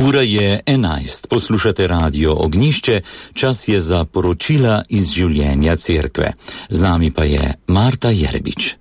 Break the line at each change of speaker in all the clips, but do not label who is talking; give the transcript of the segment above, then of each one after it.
Ura je 11, poslušate Radio Ognjišče, čas je za poročila iz življenja cerkve. Z nami pa je Marta Jerebič.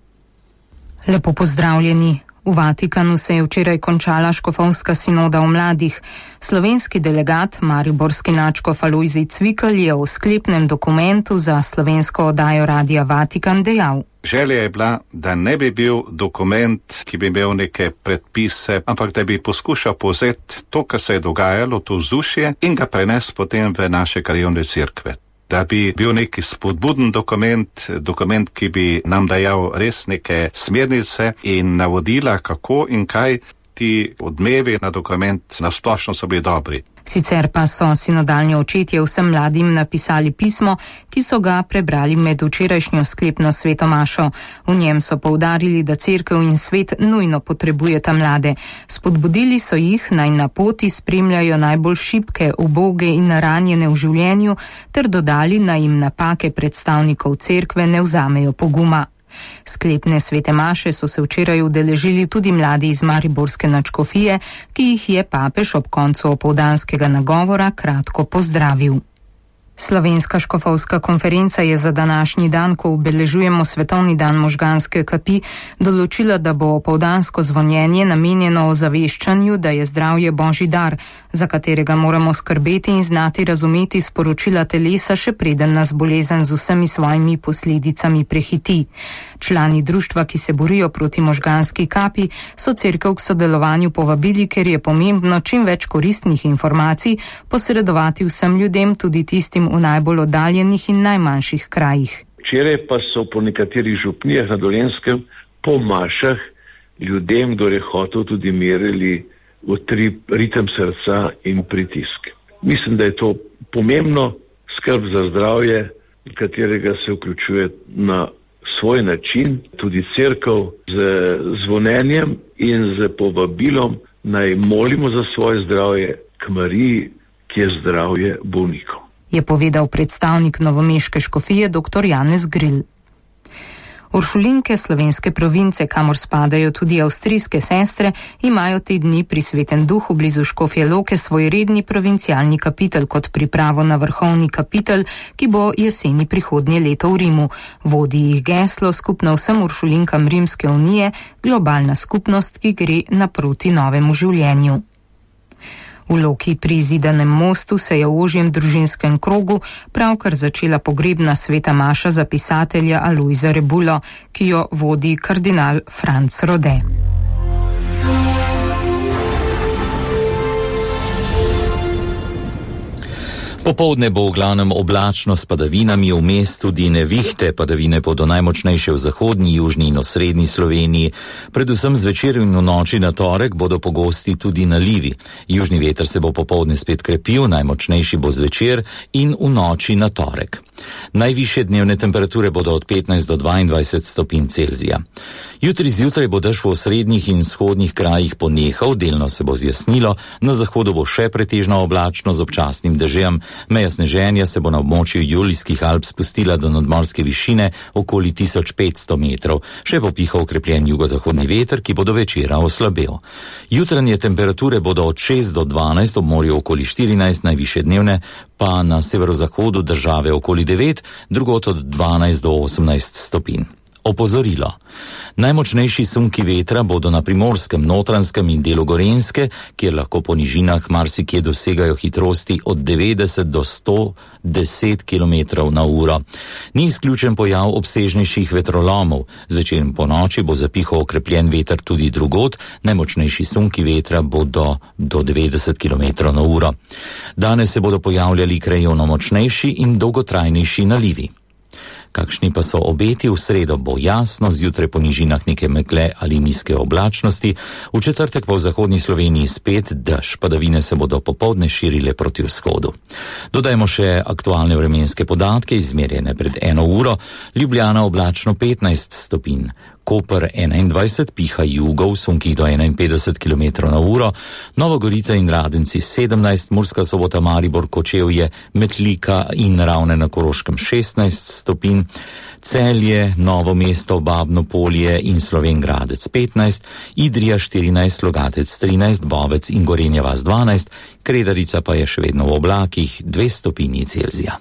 Lepo pozdravljeni. V Vatikanu se je včeraj končala škofovska sinoda o mladih. Slovenski delegat, mariborski nadškof Alojzij Cvikl je v sklepnem dokumentu za slovensko oddajo Radia Vatikan dejal:
Želja je bila, da ne bi bil dokument, ki bi imel neke predpise, ampak da bi poskušal povzeti to, kar se je dogajalo, to vzdušje, in ga prenesti potem v naše krajevne cerkve. Da bi bil neki spodbuden dokument, ki bi nam dajal res neke smernice in navodila, kako in kaj. Ti odmevi na dokument na splošno so bili dobri.
Sicer pa so sinodalni očetje vsem mladim napisali pismo, ki so ga prebrali med včerajšnjo sklepno svetomašo. V njem so poudarili, da cerkev in svet nujno potrebujeta mlade. Spodbudili so jih, naj na poti spremljajo najbolj šibke, uboge in ranjene v življenju, ter dodali, naj jim napake predstavnikov cerkve ne vzamejo poguma. Sklepne svete maše so se včeraj udeležili tudi mladi iz mariborske nadškofije, ki jih je papež ob koncu opoldanskega nagovora kratko pozdravil. Slovenska škofovska konferenca je za današnji dan, ko obeležujemo svetovni dan možganske kapi, določila, da bo opoldansko zvonjenje namenjeno ozaveščanju, da je zdravje božji dar, za katerega moramo skrbeti in znati razumeti sporočila telesa, še preden nas bolezen z vsemi svojimi posledicami prehiti. Člani društva, ki se borijo proti možganski kapi, so cerkev k sodelovanju povabili, ker je pomembno čim več koristnih informacij posredovati vsem ljudem, tudi tistim v najbolj oddaljenih in najmanjših krajih.
Včeraj pa so po nekaterih župnijah na Dolenjskem po mašah ljudem, kdo je hotel, tudi merili utrip, ritem srca in pritisk. Mislim, da je to pomembno, skrb za zdravje, katerega se vključuje na svoj način, tudi cerkev z zvonjenjem in z povabilom, naj molimo za svoje zdravje k Mariji, ki je zdravje bolnikov,
je povedal predstavnik novomeške škofije dr. Janez Gril. Uršulinke slovenske province, kamor spadajo tudi avstrijske sestre, imajo te dni pri Svetem Duhu blizu Škofje Loke svoj redni provincialni kapitel kot pripravo na vrhovni kapitel, ki bo jeseni prihodnje leto v Rimu. Vodi jih geslo skupno vsem uršulinkam Rimske unije, globalna skupnost, ki gre naproti novemu življenju. V Loki pri Zidanem mostu se je v ožjem družinskem krogu pravkar začela pogrebna sveta maša za pisatelja Alojza Rebulo, ki jo vodi kardinal Franc Rode.
Popoldne bo v glavnem oblačno s padavinami, vmes tudi nevihte, padavine bodo najmočnejše v zahodni, južni in osrednji Sloveniji. Predvsem zvečer in v noči na torek bodo pogosti tudi nalivi. Južni veter se bo popoldne spet krepil, najmočnejši bo zvečer in v noči na torek. Najvišje dnevne temperature bodo od 15 do 22 stopinj Celzija. Jutri zjutraj bo dež v osrednjih in vzhodnih krajih ponehal, delno se bo zjasnilo, na zahodu bo še pretežno oblačno z občasnim dežjem. Meja sneženja se bo na območju Julijskih Alp spustila do nadmorske višine okoli 1500 metrov. Še bo pihal okrepljen jugozahodni veter, ki bo do večera oslabel. Jutranje temperature bodo od 6 do 12, ob morju okoli 14, najvišje dnevne pa na severozahodu države okoli 9, drugot od 12 do 18 stopinj. Opozorilo. Najmočnejši sunki vetra bodo na Primorskem, Notranjskem in delu Gorenjske, kjer lahko po nižinah marsikje dosegajo hitrosti od 90 do 110 km na uro. Ni izključen pojav obsežnejših vetrolomov. Zvečer in po noči bo zapihal okrepljen veter tudi drugod, najmočnejši sunki vetra bodo do 90 km na uro. Danes se bodo pojavljali krajevno močnejši in dolgotrajnejši nalivi. Kakšni pa so obeti? V sredo bo jasno, zjutraj po nižinah neke megle ali nizke oblačnosti, v četrtek pa v zahodni Sloveniji spet dež, padavine se bodo popoldne širile proti vzhodu. Dodajmo še aktualne vremenske podatke, izmerjene pred 1 uro. Ljubljana oblačno 15 stopinj, Koper 21, piha jugo v sunkih do 51 km/h, Nova Gorica in Radenci 17, Murska Sobota, Maribor, Kočevje, Metlika in Ravne na Koroškem 16 stopinj, Celje, Novo mesto, Babno Polje in Slovenj Gradec 15, Idrija 14, Logatec 13, Bovec in Gorenja vas 12, Kredarica pa je še vedno v oblakih 2 stopinji Celzija.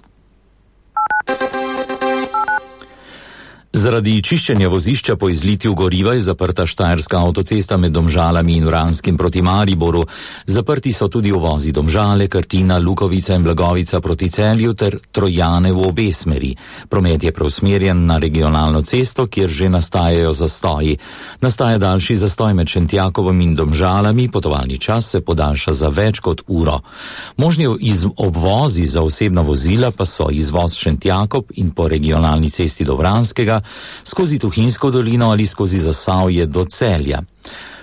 Zaradi čiščenja vozišča po izlitju goriva je zaprta štajerska avtocesta med Domžalami in Vranskim proti Mariboru. Zaprti so tudi uvozi Domžale, Krtina, Lukovica in Blagovica proti Celju ter Trojane v obe smeri. Promet je preusmerjen na regionalno cesto, kjer že nastajajo zastoji. Nastaja daljši zastoj med Šentjakovom in Domžalami, potovalni čas se podaljša za več kot uro. Možni obvozi za osebna vozila pa so izvoz Šentjakob in po regionalni cesti do Vranskega, skozi Tuhinjsko dolino ali skozi Zasavje do Celja.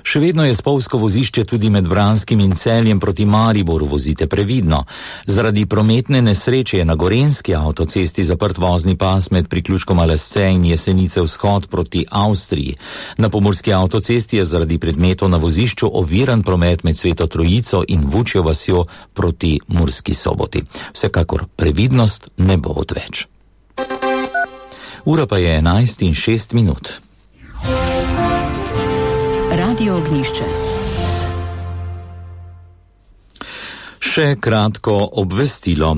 Še vedno je spolzko vozišče tudi med Vranskim in Celjem proti Mariboru, vozite previdno. Zaradi prometne nesreče je na Gorenjski avtocesti zaprt vozni pas med priključkom Lesce in Jesenice vzhod proti Avstriji. Na pomurski avtocesti je zaradi predmetov na vozišču oviran promet med Sveto Trojico in Vučjo vasjo proti Murski Soboti. Vsekakor previdnost ne bo odveč. Ura pa je 11:06.
Radio Ognjišče.
Še kratko obvestilo.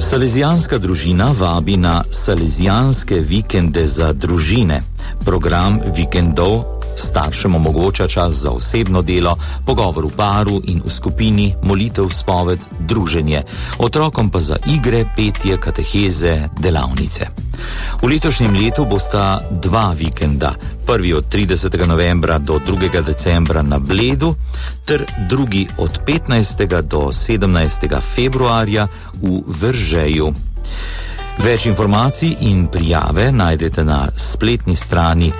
Salezijanska družina vabi na Salezijanske vikende za družine. Program vikendov staršem omogoča čas za osebno delo, pogovor v paru in v skupini, molitev, spoved, druženje. Otrokom pa za igre, petje, kateheze, delavnice. V letošnjem letu bosta 2 vikenda, prvi od 30. novembra do 2. decembra na Bledu, ter drugi od 15. do 17. februarja v Veržeju. Več informacij in prijave najdete na spletni strani